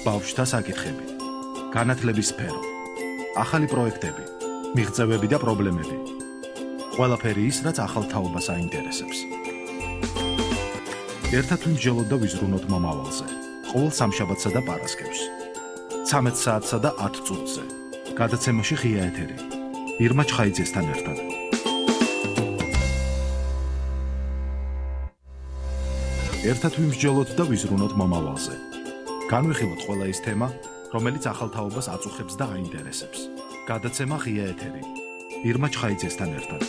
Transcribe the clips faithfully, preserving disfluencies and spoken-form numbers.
ბავშვთა საკითხები, განათლების სფერო, ახალი პროექტები, მიღწევები და პრობლემები. ყველაფერი ის, რაც ახალ თაობას აინტერესებს. ერთად ვიმსჯელოთ და ვიზრუნოთ მომავალზე. ყოველ სამშაბათსა და პარასკევს. ცამეტ საათსა და ათ წუთზე. გადაცემაში ღია ეთერი. ირმა ჩხაიძესთან ერთად. ერთად ვიმსჯელოთ და ვიზრუნოთ მომავალზე. განვიხილოთ ყველა ის თემა, რომელიც ახალ თაობას აწუხებს და აინტერესებს. გადაცემა ღია ეთერი. ირმა ჩხაიძესთან ერთად.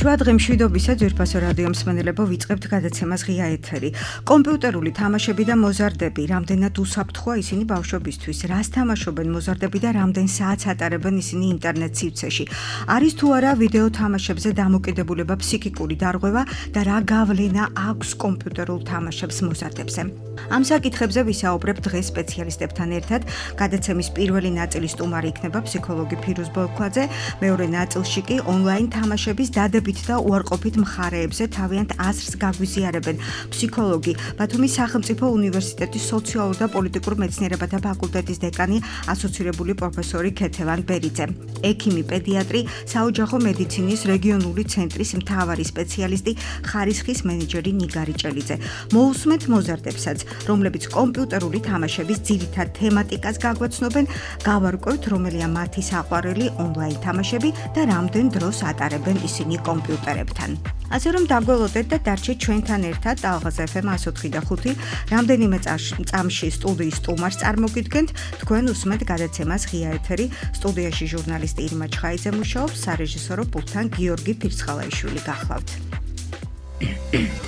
შვადღი მშვიდობისა ძვირფასო რადიო მსმენელებო, ვიწყებთ გადაცემას ღია ეთერი. კომპიუტერული თამაშები და მოზარდები, რამდენად უსაფრთხოა ისინი ბავშვებისთვის, რას თამაშობენ მოზარდები და რამდენ საათს ატარებენ ისინი ინტერნეტ სივრცეში. არის თუ არა ვიდეო თამაშებზე დამოკიდებულება ფსიქიკური დარღვევა და რა გავლენა აქვს კომპიუტერულ თამაშებს მოზარდებზე. ამ საკითხებზე ვისაუბრებ დღეს სპეციალისტებთან ერთად. გადაცემის პირველი ნაწილის სტუმარი იქნება ფსიქოლოგი ფირუზ ბოლქვაძე, მეორე ნაწილში კი ონლაინ თამაშების დადებით და უარყოფით მხარეებზე თავიანთ აზრს გაგვიზიარებენ ფსიქოლოგი, ბათუმის სახელმწიფო უნივერსიტეტის სოციალურ და პოლიტიკურ მეცნიერებათა ფაკულტეტის დეკანი, ასოცირებული პროფესორი ქეთევან ბერიძე, ექიმი პედიატრი, საოჯახო მედიცინის რეგიონული ცენტრის მთავარი სპეციალისტი, ხარისხის მენეჯერი ნიგარი ჭელიძე. მოусმენთ მოზარდებსაც, რომლებიც კომპიუტერული თამაშების ძირითად თემატიკას გაგვაცნობენ, გავარკვევთ რომელია მათი საყვარელი ონლაინ თამაშები და რამდენ დროს ატარებენ ისინი კომპიუტერებთან. ასე რომ დაგველოდეთ და დარჩეთ ჩვენთან ერთად ალღაზ ეფ ემ εκατო ოთხი და ხუთი. რამდენიმე წამში სტუდიის სტუმარს წარმოგიდგენთ, თქვენ უსმენთ გადაცემას ღია ეთერი. სტუდიაში ჟურნალისტი ირმა ჩხაიძე მუშაობს, სარეჟისორო პულტთან გიორგი ფირცხალაიშვილი გახლავთ.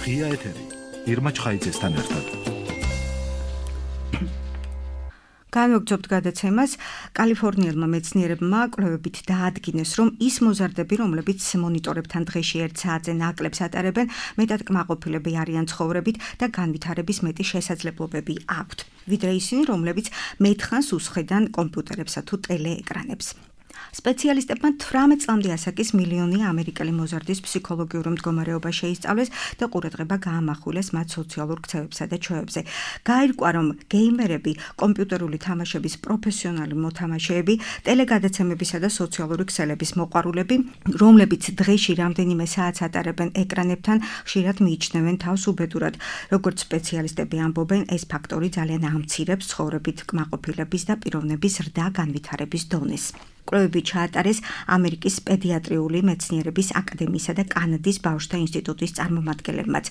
ღია ეთერი. ირმა ჩხაიძესთან ერთად. განვაგრძობთ გადაცემას. კალიფორნიელმა მეცნიერებმა კვლევებით დაადგინეს, რომ ის მოზარდები, რომლებიც მონიტორებთან დღეში ერთ საათზე ნაკლებს ატარებენ, მეტად კმაყოფილები არიან ცხოვრებით და განვითარების მეტი შესაძლებლობები აქვთ, ვიდრე ისინი, რომლებიც მეტხანს უსხედან კომპიუტერებსა თუ ტელეეკრანებს. სპეციალისტებმა თვრამეტ წლამდე ასაკის მილიონი ამერიკელი მოზარდის ფსიქოლოგიურ მდგომარეობა შეისწავლეს და ყურადღება გაამახვილეს მათ სოციალურ ქცევებსა და ჩვევებზე. გაირკვა, რომ გეიმერები, კომპიუტერული თამაშების პროფესიონალი მოთამაშეები, ტელეგადაცემებისა და სოციალური ქსელების მოყვარულები, რომლებიც დღეში რამდენიმე საათს ატარებენ ეკრანებთან, ხშირად მიიჩნევენ თავს უბედურად. როგორც სპეციალისტები ამბობენ, ეს ფაქტორი ძალიან ამცირებს ცხოვრებით კმაყოფილების და პიროვნების ზრდა განვითარების დონეს. კვლევები ჩაატარეს ამერიკის პედიატრიული მეცნიერების აკადემიისა და კანადის ბავშვთა ინსტიტუტის წარმომადგენლებმაც.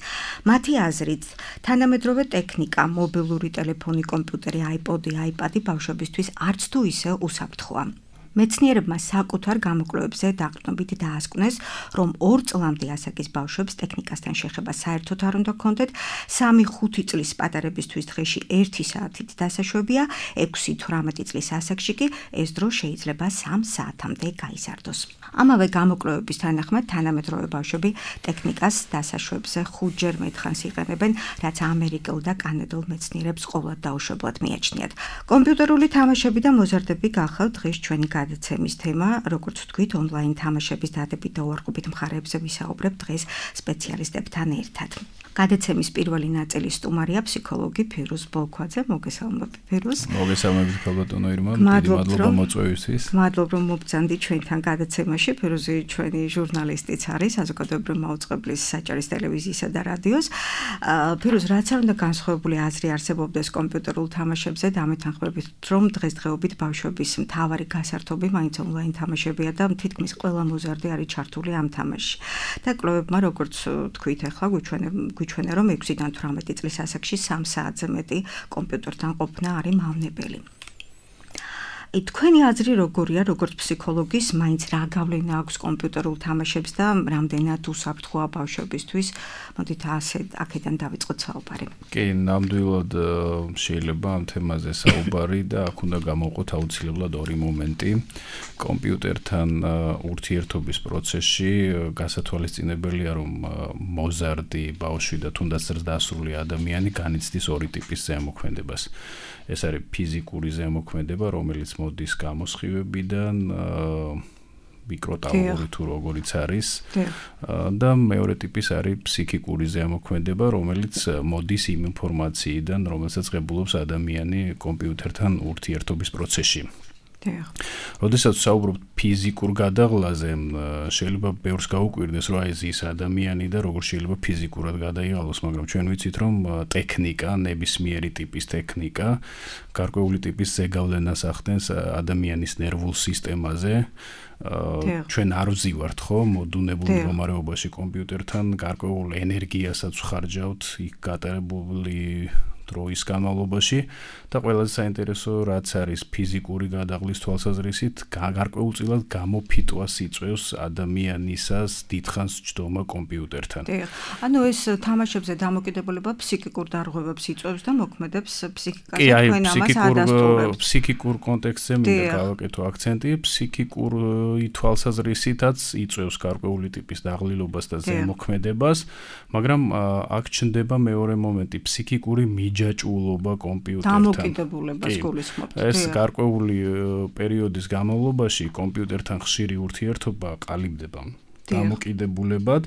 მათი აზრით, თანამედროვე ტექნიკა, მობილური ტელეფონი, კომპიუტერი, აიპოდი, აიპადი ბავშვებისთვის არც თუ ისე უსაფრთხოა. მეცნიერებმა საკუთარ გამოკვლევებზე დაყრდნობით დაასკვნეს, რომ ორ წლამდე ასაკის ბავშვებს ტექნიკასთან შეხება საერთოდ არ უნდა ჰქონდეთ, სამი ხუთი წლის პატარებისთვის დღეში ერთი საათით დასაშვებია, ექვსი თვრამეტი წლის ასაკში კი ეს დრო შეიძლება სამ საათამდე გაიზარდოს. ამავე გამოკვლევების თანახმად თანამედროვე ბავშვები ტექნიკას დასაშვებზე ხუთჯერ მეტხანს იყენებენ, რაც ამერიკელ და კანადელ მეცნიერებს ყოვლად დაუშვებლად მიაჩნიათ. კომპიუტერული თამაშები და მოზარდები გახავთ დღეს ჩვენი გადაცემის თემა, როგორც ვთქვით, ონლაინ თამაშების დადებით და უარყოფით მხარეებზე ვისაუბრებ დღეს სპეციალისტებთან ერთად. გადაცემის პირველი ნაწილის სტუმარია ფსიქოლოგი ფირუზ ბოლქვაძე. მოგესალმებით ფირუზ. მოგესალმებით ქალბატონო ირმა, დიდი მადლობა მოწვევისთვის. მადლობა რომ მოგწანდით ჩვენთან გადაცემაში. ფირუზი ჩვენი ჟურნალისტიც არის, საზოგადოებრივი მაუწყებლის საჭარის ტელევიზიისა და რადიოს. ფირუზ, რაც არ უნდა განსხვავებული აზრი არსებობდეს კომპიუტერულ თამაშებზე, დამეთანხმებით, რომ დღესდღეობით ბავშვების მთავარი გასართობი მაინც ონლაინ თამაშებია და თითქმის ყველა მოზარდი არის ჩართული ამ თამაშში. და კვლევებმა, როგორც თქვით, ახლა გვიჩვენა, რომ ექვსიდან თვრამეტი წლის ასაკში სამ საათზე მეტი კომპიუტერთან ყოფნა არის მავნებელი. თქვენი აზრი როგორია, როგორც ფსიქოლოგის, მაინც რა გავლენა აქვს კომპიუტერულ თამაშებს და რამდენად უსაფრთხოა ბავშვებისთვის? მოდით ასე აქედან დავიწყოთ საუბარი. კი, ნამდვილად შეიძლება ამ თემაზე საუბარი და აქ უნდა გამოვყოთ აუცილებლად ორი მომენტი. კომპიუტერთან ურთიერთობის პროცესში გასათვალისწინებელია, რომ მოზარდი ბავშვი და თუნდაც ზრდასრული ადამიანი განიცდის ორი ტიპის ზემოქმედებას. ეს არის ფიზიკური ზემოქმედება, რომელიც მოდის გამოსხივებიდან, მიკროტალღური თუ როგორიც არის. და მეორე ტიპის არის ფსიქიკური ზემოქმედება, რომელიც მოდის იმ ინფორმაციიდან, რომელსაც ღებულობს ადამიანი კომპიუტერთან ურთიერთობის პროცესში. როდესაც საუბრობთ ფიზიკურ გადაღლაზე, შეიძლება ბევრს გაუკვირდეს, რომ აი ეს ადამიანი და როგორ შეიძლება ფიზიკურად გადაიღალოს, მაგრამ ჩვენ ვიცით, რომ ტექნიკა, ნებისმიერი ტიპის ტექნიკა, გარკვეული ტიპის ზეგავლენას ახდენს ადამიანის ნერვულ სისტემაზე. ჩვენ არ ვზივართ ხო მოდუნებულ მდგომარეობაში კომპიუტერთან, გარკვეულ ენერგიასაც ვხარჯავთ იქ გატარებული დროის განმავლობაში და ყველაზე საინტერესო რაც არის ფიზიკური გადაღლის თვალსაზრისით გარკვეულწილად გამოფიტვას იწვევს ადამიანისას დიდხანს ჯდომა კომპიუტერთან. ანუ ეს თამაშებზე დამოკიდებულება ფსიქიკურ დარღვევებს იწვევს და მოქმედებს ფსიქიკაზე, კი, აი, თქვენ ამას ადასტურებთ. ფსიქიკურ კონტექსტზე მინდა გავაკეთო აქცენტი, ფსიქიკური თვალსაზრისითაც იწვევს გარკვეული ტიპის დაღლილობას და ზემოქმედებას, მაგრამ აქ ჩნდება მეორე მომენტი, ფსიქიკური მიჯაჭვულობა კომპიუტერთან. დამოკიდებულებას გულისხმობთ. ეს გარკვეული პერიოდის განმავლობაში კომპიუტერთან ხშირი ურთიერთობა ყალიბდება დამოკიდებულებად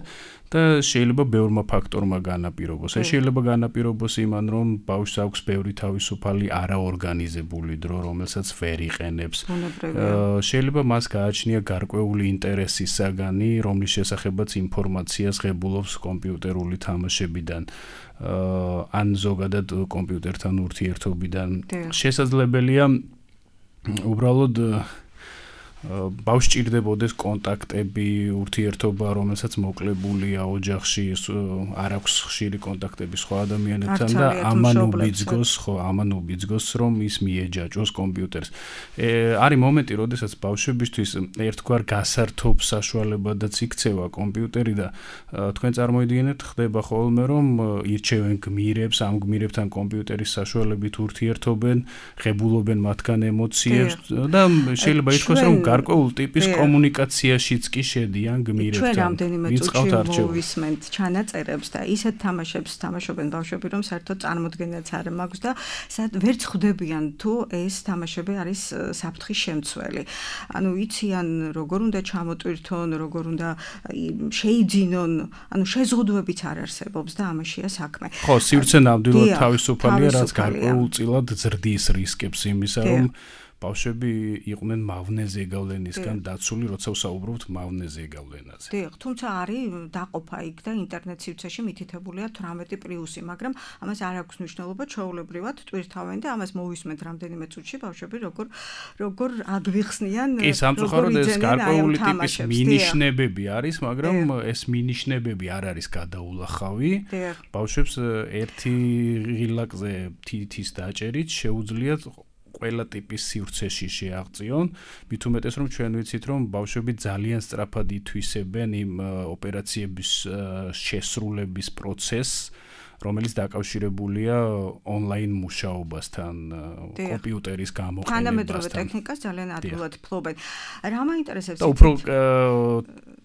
და შეიძლება ბევრმა ფაქტორმა განაპირობოს. ეს შეიძლება განაპირობოს იმან, რომ ბავშვს აქვს ბევრი თავისუფალი არაორგანიზებული დრო, რომელსაც ვერ იყენებს. შეიძლება მას გააჩნია გარკვეული ინტერესის საგანი, რომლის შესახებაც ინფორმაციას ღებულობს კომპიუტერული თამაშებიდან. ან ზოგადად კომპიუტერთან ურთიერთობიდან. შესაძლებელია უბრალოდ ბავშვს ჭირდებოდეს კონტაქტები, ურთიერთობა, რომელსაც მოკლებულია ოჯახში, არ აქვს ხშირი კონტაქტები სხვა ადამიანებთან და ამან უბიძგოს, ხო, ამან უბიძგოს, რომ ის მიეჯაჭვოს კომპიუტერს. არის მომენტი, როდესაც ბავშვებისთვის ერთგვარ გასართობ საშუალებადაც იქცევა კომპიუტერი და თქვენ წარმოიდგინეთ, ხდება ხოლმე, რომ ირჩევენ გმირებს, ამ გმირებთან კომპიუტერის საშუალებით ურთიერთობენ, ღებულობენ მათგან ემოციებს და შეიძლება ითქვას, რომ გარკვეულ ტიპის კომუნიკაციაშიც კი შედიან გმირებთან. ჩვენ რამდენიმე წუთში მოვისმენთ ჩანაწერებს და ისეთ თამაშებს თამაშობენ ბავშვები, რომ საერთოდ წარმოდგენაც არ მაქვს და ვერც ხვდებიან თუ ეს თამაშები არის საფრთხის შემცველი. ანუ იციან როგორ უნდა ჩამოტვირთონ, როგორ უნდა შეიძინონ, ანუ შეზღუდვებიც არ არსებობს და ამაშია საქმე. ხო, სივრცე ნამდვილად თავისუფალია, რაც გარკვეულწილად ზრდის რისკებს იმისა, რომ ბავშვები იყვნენ მავნე ზეგავლენისგან დაცული, როცა ვსაუბრობთ მავნე ზეგავლენაზე. დიახ, თუმცა არის დაყოფა იქ და ინტერნეტ სივრცეში მითითებულია თვრამეტი პლუსი, მაგრამ ამას არ აქვს მნიშვნელობა, ჩვეულებრივად ტვირთავენ და ამას მოვისმენთ რამდენიმე წუთში ბავშვები როგორ როგორ აგვიხსნიან, როგორ სამწუხაროდ ეს გარკვეული ტიპის მინიშნებები არის, მაგრამ ეს მინიშნებები არ არის გადაულახავი. ბავშვებს ერთი ღილაკზე თითის დაჭერით შეუძლიათ ყველა ტიპის სივრცეში შეაღწიონ, მით უმეტეს რომ ჩვენ ვიცით რომ ბავშვები ძალიან სწრაფად ითვისებენ იმ ოპერაციების შესრულების პროცესს, რომელიც დაკავშირებულია ონლაინ მუშაობასთან, კომპიუტერის გამოყენებასთან. თანამედროვე ტექნიკას ძალიან ადვილად ფლობენ. რა მაინტერესებს? და უფრო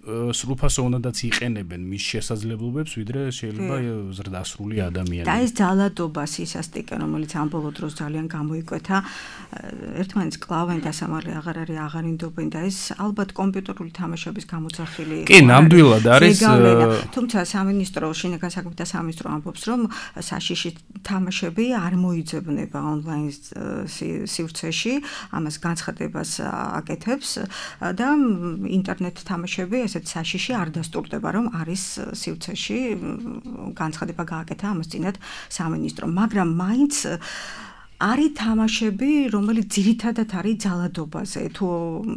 სრულფასოვნადაც იყენებენ მის შესაძლებლობებს, ვიდრე შეიძლება ზრდასრული ადამიანი. და ეს ძალადობა სისასტიკე, რომელიც ამ ბოლო დროს ძალიან გამოიკვეთა, ერთმანეთს კლავენ და სამართლე აღარ არის აღარინდობენ და ეს ალბათ კომპიუტერული თამაშების გამოძახილი. კი, ნამდვილად არის. თუმცა სამინისტრო, შინაგან საქმეთა სამინისტრო ამბობს, რომ საშიში თამაშები არ მოიძებნება ონლაინ სივრცეში, ამას განცხადებას აკეთებს და ინტერნეტ თამაშები ესეთ საშიში არ დასტურდება, რომ არის სივრცეში, განცხადება გააკეთა ამას წინათ სამინისტრო, მაგრამ მაინც არის თამაშები, რომელიც ძირითადად არის ძალადობაზე, თუ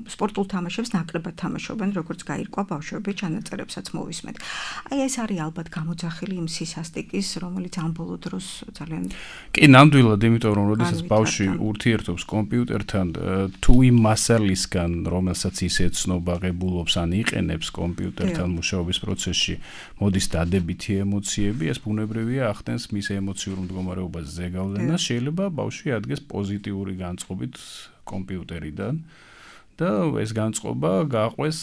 სპორტულ თამაშებს ნაკლებად თამაშობენ, როგორც გაირკვა ბავშვები ჩანაწერებსაც მოვისმენთ. აი ეს არის ალბათ გამოძახილი იმ სისასტიკის, რომელიც ამ ბოლო დროს ძალიან კი, ნამდვილად, იმიტომ რომ როდესაც ბავშვი ურთიერთობს კომპიუტერთან, თუ იმ მასალისგან, რომელსაც ის ეცნობა, ღებულობს ან იყენებს კომპიუტერთან მუშაობის პროცესში, მოდის დადებითი ემოციები, ეს ბუნებრივია ახდენს მის ემოციურ მდგომარეობას ზეგავლენას, შეიძლება ბავშვი ადგეს პოზიტიური განწყობით კომპიუტერიდან და ეს განწყობა გაყვეს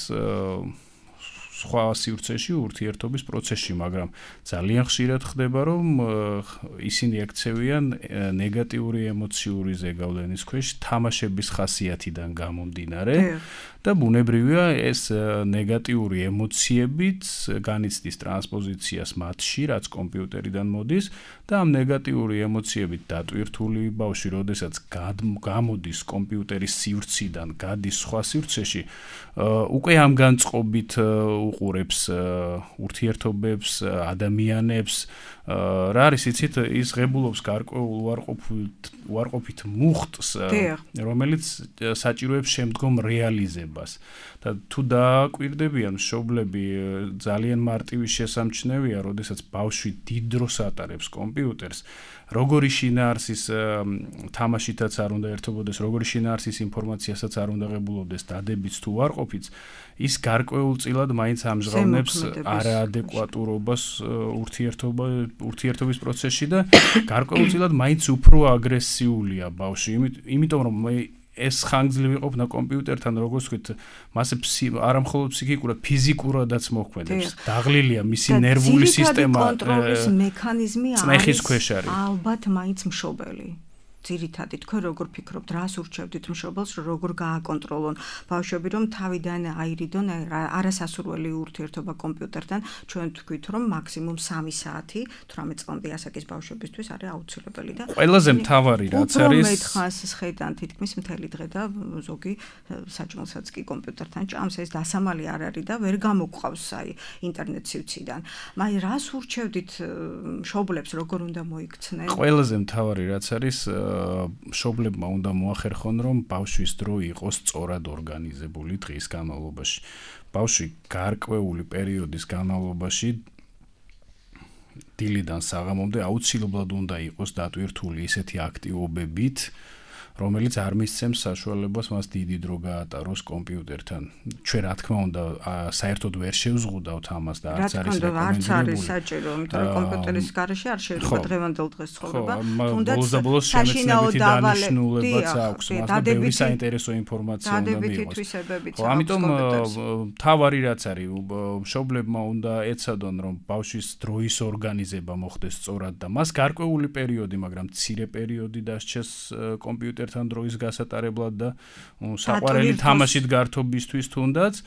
სხვა სივრცეში ურთიერთობის პროცესში, მაგრამ ძალიან ხშირად ხდება, რომ ისინი ექცევიან ნეგატიური ემოციური ზეგავლენის ქვეშ თამაშების ხასიათიდან გამომდინარე და ბუნებრივია ეს ნეგატიური ემოციებიც განიცდის ტრანსპოზიციას მათში, რაც კომპიუტერიდან მოდის და ამ ნეგატიური ემოციებით დატვირთული ბავშვი, როდესაც გამოდის კომპიუტერის სივრციდან, გადის სხვა სივრცეში, უკვე ამ განწყობით უყურებს ურთიერთობებს, ადამიანებს, რა არის იცით, ის ღებულობს გარკვეულ უარყოფით უარყოფით მუხტს, რომელიც საჭიროებს შემდგომ რეალიზებას. და თუ დააკვირდებიან მშობლები, ძალიან მარტივი შესამჩნევია, როდესაც ბავშვი დიდ დროს ატარებს კომპიუტერს, როგორი შინაარსის თამაშითაც არ უნდა ერთობოდეს, როგორი შინაარსის ინფორმაციასაც არ უნდა ღებულობდეს, დადებიც თუ უარყოფიც, ის გარკვეულწილად მაინც ამჟღავნებს არაადეკვატურობას ურთიერთობა ურთიერთობის პროცესში და გარკვეულწილად მაინც უფრო აგრესიულია ბავშვი, იმიტომ რომ ეს ხანგრძლივი ყოფნა კომპიუტერთან, როგორც ვთქვით, მასე არამხოლოდ ფსიქიკურად, ფიზიკურადაც მოქმედებს. დაღლილია მისი ნერვული სისტემა. კონტროლის მექანიზმი არის ალბათ მაინც მშობელი. ძირითადად თქვენ როგორ ფიქრობთ, რას ურჩევდით მშობელს, როგორ გააკონტროლონ ბავშვები, რომ თავიდან აირიდონ არასასურველი ურთიერთობა კომპიუტერთან, ჩვენ ვთქვით, რომ მაქსიმუმ სამი საათი თვრამეტ წლამდე ასაკის ბავშვებისთვის არის აუცილებელი და ყველაზე მთავარი რაც არის უფრო მეტხანს ხედან თითქმის მთელი დღე და ზოგი საჭმელსაც კი კომპიუტერთან ჭამს, ეს დასამალი არ არის და ვერ გამოგვყავს აი ინტერნეტ სივრციდან. მაგრამ რას ურჩევდით მშობლებს, როგორ უნდა მოიქცნენ? ყველაზე მთავარი რაც არის მშობლებმა უნდა მოახერხონ, რომ ბავშვის დრო იყოს სწორად ორგანიზებული დღის განმავლობაში. ბავშვი გარკვეული პერიოდის განმავლობაში დილიდან საღამომდე აუცილებლად უნდა იყოს დატვირთული ისეთი აქტივობებით, რომელიც არ მისცემს საშუალებას მას დიდი დრო გაატაროს კომპიუტერთან. ჩვენ რა თქმა უნდა საერთოდ ვერ შევზღუდავთ ამას და არც არის რეკომენდებული. არც არის საჭირო, იმიტომ რომ კომპიუტერის გარეშე არ შეიძლება დღევანდელ დღეს ცხოვრება. თუნდაც ბოლოს შემეცნებითი დანიშნულებაც აქვს, მას და ბევრი საინტერესო ინფორმაცია უნდა მიიღოს. ხო, ამიტომ მთავარი რაც არის, მშობლებმა უნდა ეცადონ, რომ ბავშვის დროის ორგანიზება მოხდეს სწორად და მას გარკვეული პერიოდი, მაგრამ მცირე პერიოდი დასჩეს კომპიუტერთან თან დროის გასატარებლად და საყვარელი თამაშით გართობისთვის თუნდაც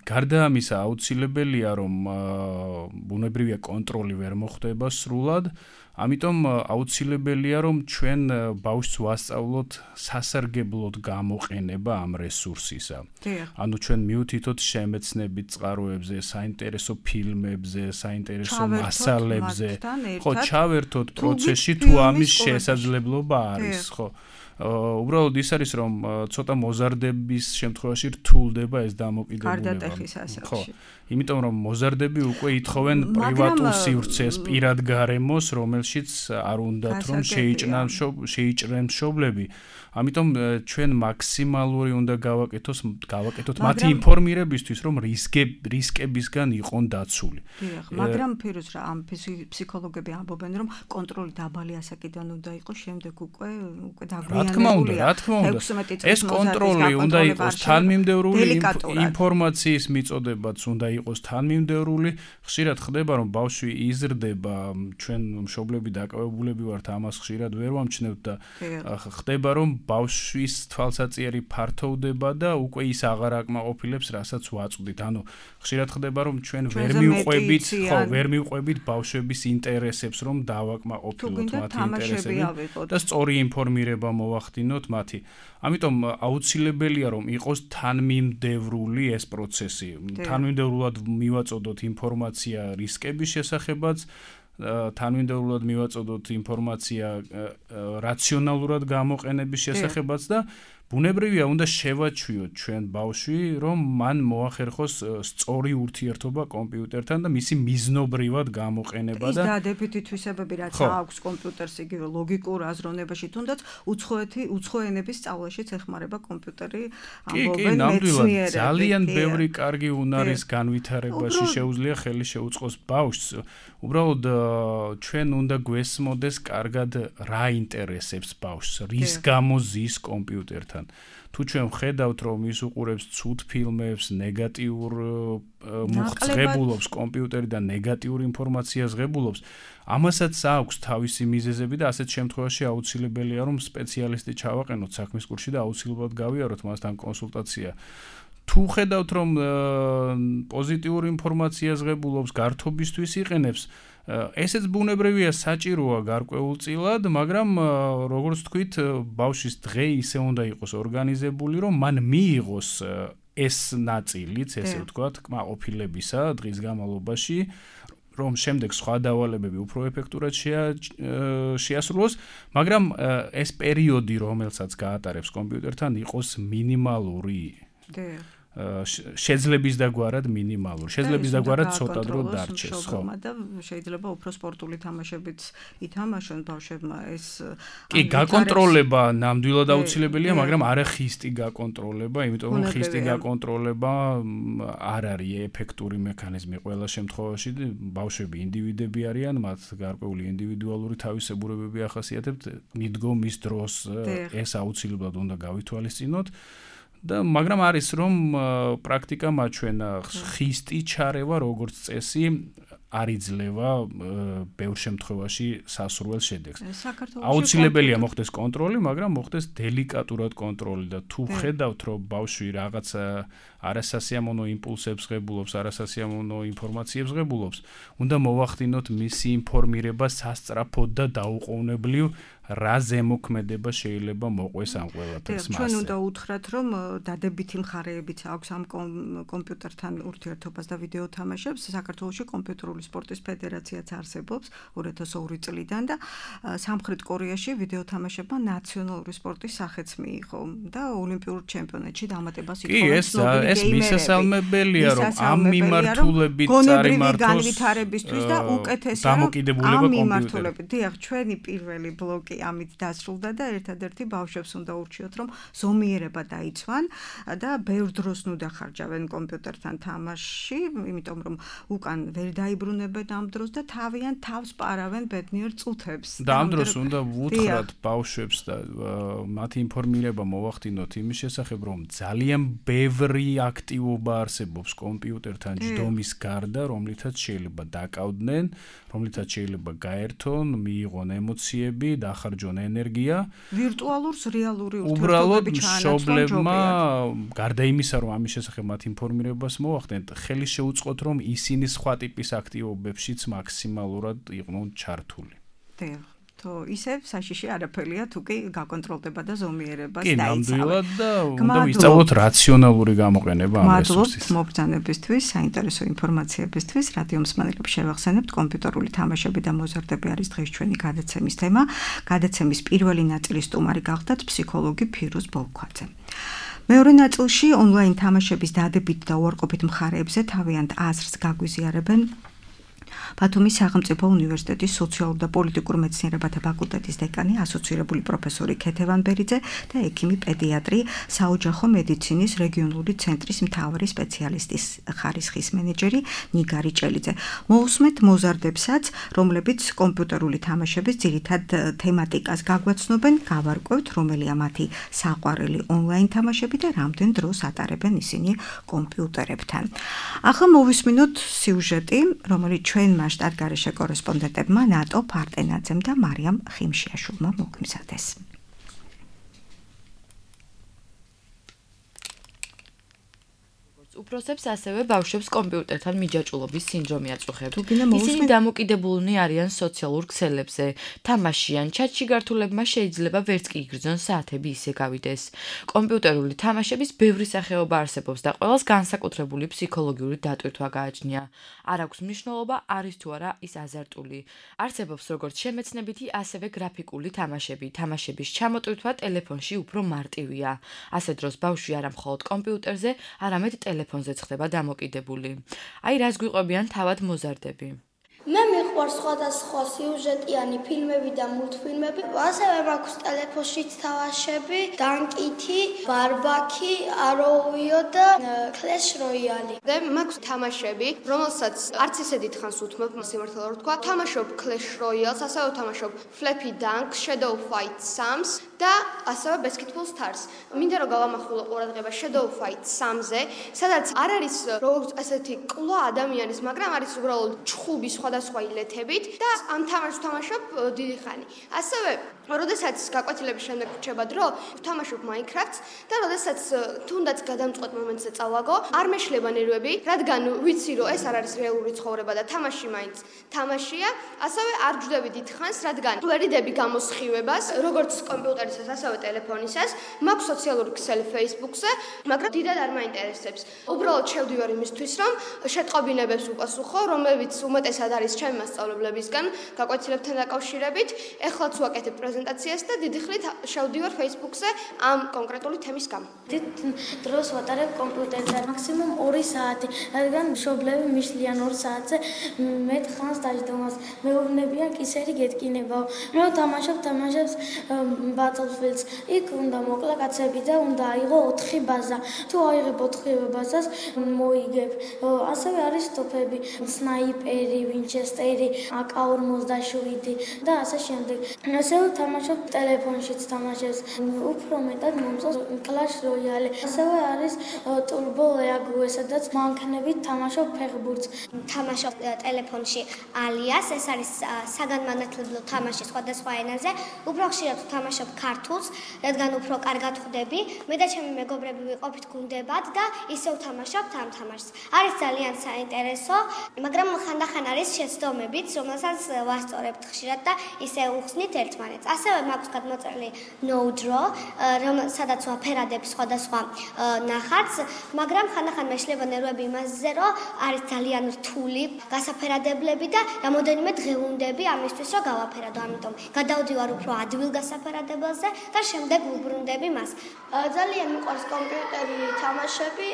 გარდა ამისა აუცილებელია რომ ბუნებრივია კონტროლი ვერ მოხდება სრულად, ამიტომ აუცილებელია რომ ჩვენ ბავშვს ვასწავლოთ სასარგებლოდ გამოყენება ამ რესურსისა. ანუ ჩვენ მივთითოთ შემეცნებით წყაროებზე, საინტერესო ფილმებზე, საინტერესო მასალებზე, ხო, ჩავერთოთ პროცესში თუ ამის შესაძლებლობა არის, ხო. უბრალოდ ის არის რომ ცოტა მოზარდების შემთხვევაში რთულდება ეს დამოკიდებულება. ხო, იმიტომ რომ მოზარდები უკვე ითხოვენ პრივატულ სივრცეს, პირად გარემოს, რომელშიც არ უნდათ რომ შეიჭრან შეიჭრენ მშობლები. ამიტომ ჩვენ მაქსიმალური უნდა გავაკეთოს, გავაკეთოთ მათი ინფორმირებისთვის, რომ რისკებისგან იყონ დაცული. დიახ, მაგრამ ფირუზ რა, ამ ფსიქოლოგები ამბობენ, რომ კონტროლი დაბალი ასაკიდან უნდა იყოს, შემდეგ უკვე უკვე დაგვიანებულია. რა თქმა უნდა, რა თქმა უნდა. ეს კონტროლი უნდა იყოს თანმიმდევრული, ინფორმაციის მიწოდებაც უნდა იყოს თანმიმდევრული. ხშირად ხდება, რომ ბავშვი იზრდება, ჩვენ მშობლები დაკავებულები ვართ ამას ხშირად ვერ ვამჩნევთ და ხდება, რომ ბავშვის თვალსაწიერი ფართოვდება და უკვე ის აღარ აკმაყოფილებს, რასაც ვაწვდით. ანუ ხშირად ხდება, რომ ჩვენ ვერ მივყვებით, ხო, ვერ მივყვებით ბავშვების ინტერესებს, რომ დავაკმაყოფილოთ მათი ინტერესები და სწორი ინფორმირება მოვახდინოთ მათი. ამიტომ აუცილებელია, რომ იყოს თანმიმდევრული ეს პროცესი. თანმიმდევრულად მივაწოდოთ ინფორმაცია რისკების შესახებაც, თანმიმდევრულად მივაწოდოთ ინფორმაცია რაციონალურად გამოყენების შესახებაც და ბუნებრივია უნდა შევაჩვიოთ ჩვენ ბავშვი, რომ მან მოახერხოს სწორი ურთიერთობა კომპიუტერთან და მისი მიზნობრივად გამოყენება და ის დადებითი თვისებები რაც აქვს კომპიუტერს იგივე ლოგიკურ აზროვნებაში, თუნდაც უცხოეთი უცხოენების სწავლაშიც ეხმარება კომპიუტერი, ამბობენ მეცნიერები. ძალიან ბევრი კარგი უნარის განვითარებაში შეუძლია ხელი შეუწყოს ბავშვს. უბრალოდ ჩვენ უნდა გვესმოდეს კარგად რა ინტერესებს ბავშვს, რის გამო ზის კომპიუტერთან. კომპიუტერთან. თუ ჩვენ ვხედავთ, რომ ის უყურებს ცუდ ფილმებს, ნეგატიურ მუხტს ღებულობს კომპიუტერი და ნეგატიურ ინფორმაციას ღებულობს, ამასაც აქვს თავისი მიზეზები და ასეთ შემთხვევაში აუცილებელია, რომ სპეციალისტი ჩავაყენოთ საქმის კურსში და აუცილებლად გავიაროთ მასთან კონსულტაცია. თუ ხედავთ, რომ პოზიტიურ ინფორმაციას ღებულობს, გართობისთვის იყენებს, ესეც ბუნებრივია, საჭიროა გარკვეულწილად, მაგრამ როგორც თქვით, ბავშვის დღე ისე უნდა იყოს ორგანიზებული, რომ მან მიიღოს ეს ნაწილიც, ესე ვთქვათ, კმაყოფილებისა დღის განმავლობაში, რომ შემდეგ სხვა დავალებები უფრო ეფექტურად შეასრულოს, მაგრამ ეს პერიოდი, რომელსაც გაატარებს კომპიუტერთან, იყოს მინიმალური. შეძლების დაგვარად მინიმალური. შეძლების დაგვარად ცოტა დრო დარჩეს, ხო? და შეიძლება უფრო სპორტული თამაშებიც ითამაშონ ბავშვებმა ეს კი, გაკონტროლება ნამდვილად აუცილებელია, მაგრამ არა ხისტი გაკონტროლება, იმიტომ რომ ხისტი გაკონტროლება არ არის ეფექტური მექანიზმი ყველა შემთხვევაში. ბავშვები ინდივიდები არიან, მათ გარკვეული ინდივიდუალური თავისებურებები ახასიათებთ, მიდგომის დროს ეს აუცილებლად უნდა გავითვალისწინოთ. და მაგრამ არის რომ პრაქტიკა მაჩვენა ხისტი ჩარევა როგორც წესი არ იძლევა ბევრ შემთხვევაში სასურველ შედეგს. აუცილებელია მოხდეს კონტროლი, მაგრამ მოხდეს დელიკატურად კონტროლი და თუ ხედავთ რომ ბავშვი რაღაცა არასასიამოვნო იმპულსებს ღებულობს, არასასიამოვნო ინფორმაციებს ღებულობს, უნდა მოვახდინოთ მისი ინფორმირება სასწრაფოდ და დაუყოვნებლივ რა ზემოქმედება შეიძლება მოყვეს ამ ყველაფერს მასზე. ჩვენ უნდა უთხრათ, რომ დადებითი მხარეებიც აქვს ამ კომპიუტერთან ურთიერთობას და ვიდეო თამაშებს. საქართველოში კომპიუტერული სპორტის ფედერაციაც არსებობს ორი ათას ორი წლიდან და სამხრეთ კორეაში ვიდეო თამაშებმა ნაციონალური სპორტის სახეც მიიღო და ოლიმპიურ ჩემპიონატში დამატებას ითხოვენ ცნობილი ეს მისასალმებელია, რომ ამ მიმართულებით წარიმართოს განვითარებისთვის და უკეთესია ამ მიმართულებით. დიახ, ჩვენი პირველი ბლოკი ამით დასრულდა და ერთადერთი ბავშვებს უნდა ურჩიოთ, რომ ზომიერება დაიცვან და ბევრ დროს ნუ დახარჯავენ კომპიუტერთან თამაშში, იმიტომ რომ უკან ვერ დაიბრუნებენ ამ დროს და თავიანთ თავს პარავენ ბედნიერ წუთებს. და ამ დროს უნდა ვუთხრათ ბავშვებს და მათი ინფორმირება მოვახდინოთ იმის შესახებ, რომ ძალიან ბევრი აქტივობა არსებობს კომპიუტერთან ჯდომის გარდა, რომლითაც შეიძლება დაკავდნენ, რომლითაც შეიძლება გაერთონ, მიიღონ ემოციები, დახარჯონ ენერგია. ვირტუალურს რეალური ურთიერთობები ჩაანაცვლონ მშობლებმა, გარდა იმისა, რომ ამის შესახებ მათ ინფორმირებას მოვახდენთ, ხელი შეუწყოთ, რომ ისინი სხვა ტიპის აქტივობებშიც მაქსიმალურად იყვნენ ჩართული. დიახ. თო ისევ საშიში არაფერია თუ კი გაკონტროლდება და ზომიერებას დაიცავენ. კი, ნამდვილად და უნდა ვისწავლოთ რაციონალური გამოყენება ამ რესურსის. მადლობთ მობრძანებისთვის, საინტერესო ინფორმაციებისთვის. რადიო მსმენელებს შევახსენებთ, კომპიუტერული თამაშები და მოზარდები არის დღეს ჩვენი გადაცემის თემა. გადაცემის პირველი ნაწილის სტუმარი გახდათ ფსიქოლოგი ფირუზ ბოლქვაძე. მეორე ნაწილში ონლაინ თამაშების დადებით და უარყოფით მხარეებზე თავიანთ აზრს გაგვიზიარებენ ბათუმის სახელმწიფო უნივერსიტეტის სოციალურ და პოლიტიკურ მეცნიერებათა ფაკულტეტის დეკანი, ასოცირებული პროფესორი ქეთევან ბერიძე და ექიმი პედიატრი, საოჯახო მედიცინის რეგიონული ცენტრის მთავარი სპეციალისტის ხარისხის მენეჯერი ნიგარი ჭელიძე. მოусმეთ მოზარდებსაც, რომლებიც კომპიუტერული თამაშების ძირითად თემატიკას გაგვაცნობენ, გავარკვევთ, რომელია მათი საყვარელი ონლაინ თამაშები და რამდენ დროს ატარებენ ისინი კომპიუტერებთან. ახლა მოვისმინოთ სიუჟეტი, რომელიც ჩვენმა შტატგარეშე კორესპონდენტებმა ნატო ფარტენაძემ და მარიამ ხიმშიაშვილმა მოგვიმზადეს. უფროსებს ასევე ბავშვებს კომპიუტერთან მიჯაჭვულობის სინდრომი აწუხებთ. ისინი დამოკიდებულნი არიან სოციალურ ქსელებზე. თამაშიან, ჩატში გართულებმა შეიძლება ვერც კი იგრძნონ საათები ისე გავიდეს. კომპიუტერული თამაშების ბევრი სახეობა არსებობს და ყველას განსაკუთრებული ფსიქოლოგიური დატვირთვა გააჩნია. არ აქვს მნიშვნელობა, არის თუ არა ის აზარტული. არსებობს როგორც შემეცნებითი, ასევე გრაფიკული თამაშები. თამაშების ჩამოტვირთვა ტელეფონში უფრო მარტივია. ასე დროს ბავშვი არა მხოლოდ კომპიუტერზე, არამედ ტელეფონზე ხდება დამოკიდებული. აი რას გვიყვებიან თავად მოზარდები. მე მიყვარს სხვადასხვა სიუჟეტიანი ფილმები და მულტფილმები. ასევე მაქვს ტელეფონშიც თამაშები, დანკითი, ბარბაკი, აროუიო და Clash Royale. და მაქვს თამაშები, რომელსაც არც ისე დიდხანს უთმობ, სიმართლე რომ ვთქვა. თამაშობ Clash Royale-ს, ასევე თამაშობ Flappy Dunk, Shadow Fight Sams და ასევე Basketball Stars. მინდა რომ გავამახვილო ყურადღება Shadow Fight Sams-ზე, სადაც არ არის როგორც ასეთი ყლა ადამიანის, მაგრამ არის უბრალოდ ჩხუბი სხვადასხვა ილეთებით და ამ თამაშს თამაშობ დიდი ხანი. ასევე როდესაც გაკვეთილების შემდეგ რჩება დრო, ვთამაშობ Minecraft-ს და როდესაც თუნდაც გადამწყვეტ მომენტზე წავაგო, არ მეშლება ნერვები, რადგან ვიცი რომ ეს არ არის რეალური ცხოვრება და თამაში მაინც თამაშია, ასევე არ ჯდები დიდხანს, რადგან ვერიდები გამოსხივებას, როგორც კომპიუტერისას, ასევე ტელეფონისას, მაქვს სოციალური ქსელი Facebook-ზე, მაგრამ დიდად არ მაინტერესებს. უბრალოდ შევდივარ იმისთვის, რომ შეტყობინებებს უპასუხო, რომლებიც უმეტესად არის ჩემი მასწავლებლებისგან, გაკვეთილებთან დაკავშირებით, ეხლაც ვაკეთებ პრეზენტაციას და დიდი ხნით შევდივარ Facebook-ზე ამ კონკრეტული თემის გამო. დიდ დროს ვატარებ კომპიუტერზე, მაქსიმუმ ორი საათი, რადგან მშობლები მიშლიან ორ საათზე მე თხანს დაждდომას. მეუბნებიან კისერი გეტკინებაო. რო თამაშობ თამაშებს Battlefield-ს. იქ უნდა მოკლა კაცები და უნდა აიღო ოთხი ბაზა. თუ აიღებ ოთხი ბაზას, მოიგებ. ასევე არის ტოფები, სნაიპერი, ვინჩესტერი, აკ ორმოცდაშვიდი და ასე შემდეგ. ასევე თამაშობ ტელეფონშიც თამაშებს. უფრო მეტად მომწონს Clash Royale. ასევე არის Turbo League, სადაც მანქანებით თამაშობ ფეხბურთს. თამაშობ ტელეფონში Alias, ეს არის საგანმანათლებლო თამაში სხვადასხვა ენაზე. უფრო ხშირად ვთამაშობ ქართულს, რადგან უფრო კარგად ხვდები. მე და ჩემი მეგობრები ვიყოფით გუნდებად და ისევ ვთამაშობთ ამ თამაშს. არის ძალიან საინტერესო, მაგრამ ხანდახან არის შეცდომებიც, რომელსაც ვასწორებთ ხშირად და ისე უხსნით ერთმანეთს. ასევე მაქვს გადმოწერილი No Draw, სადაც ვაფერადებ სხვადასხვა ნახატს, მაგრამ ხანდახან მეშლება ნერვები იმაზე, რომ არის ძალიან რთული გასაფერადებლები და რამოდენიმე დღე უნდები ამისთვის, რომ გავაფერადო. ამიტომ გადავდივარ უფრო ადვილ გასაფერადებელზე და შემდეგ ვუბრუნდები მას. ძალიან მიყვარს კომპიუტერი თამაშები.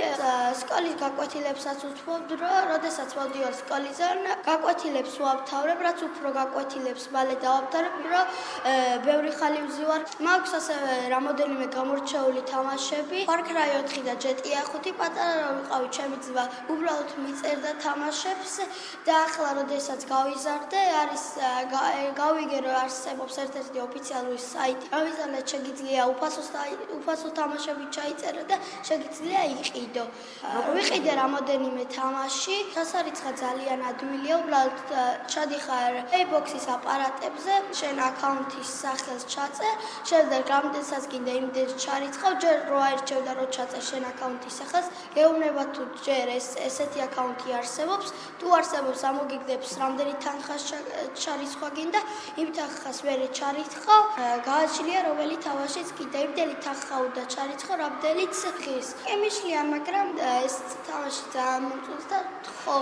სკოლის გაკვეთილებსაც ვუთმობ, რომ როდესაც მოვდივარ სკოლიდან, გაკვეთილებს ვავთავრებ, რაც უფრო გაკვეთილებს მალე დავავთავრებ, რომ ბევრი ხანი ვზივარ. მაქვს ასევე რამოდენიმე გამორჩეული თამაშები. Far Cry ოთხი და G T A ხუთი პატარა რომ ვიყავი, ჩემი ძმა უბრალოდ მიწერდა თამაშებს და ახლა როდესაც გავიზარდე, არის გავიგე რომ არსებობს ერთ-ერთი ოფიციალური საიტი, რომელზეც შეგიძლია უფასო თამაშები ჩაიწერო და შეგიძლია იყიდო. ვიყიდე რამოდენიმე თამაში, დასარიცხა ძალიან ადვილია, უბრალოდ ჩადიხარ Xbox-ის აპარატებზე, შენ აკაუნთის სახელს ჩაწერ, შემდეგ რამდენსაც გინდა იმდენს ჩარიცხავ, ჯერ რო აირჩევ და რო ჩაწერ შენ აკაუნთის სახელს, გეუბნება თუ ჯერ ეს ესეთი აკაუნთი არსებობს, თუ არსებობს ამოგიგდებს რამდენი თანხა ჩარიცხვა გინდა, იმ თანხას მერე ჩარიცხავ, გააჩნია რომელი თამაშიც კიდე იმდენი თანხა უნდა ჩარიცხო, რამდენიც ღირს. ემიშლია, მაგრამ ეს თამაში ძალიან მომწონს და ხო,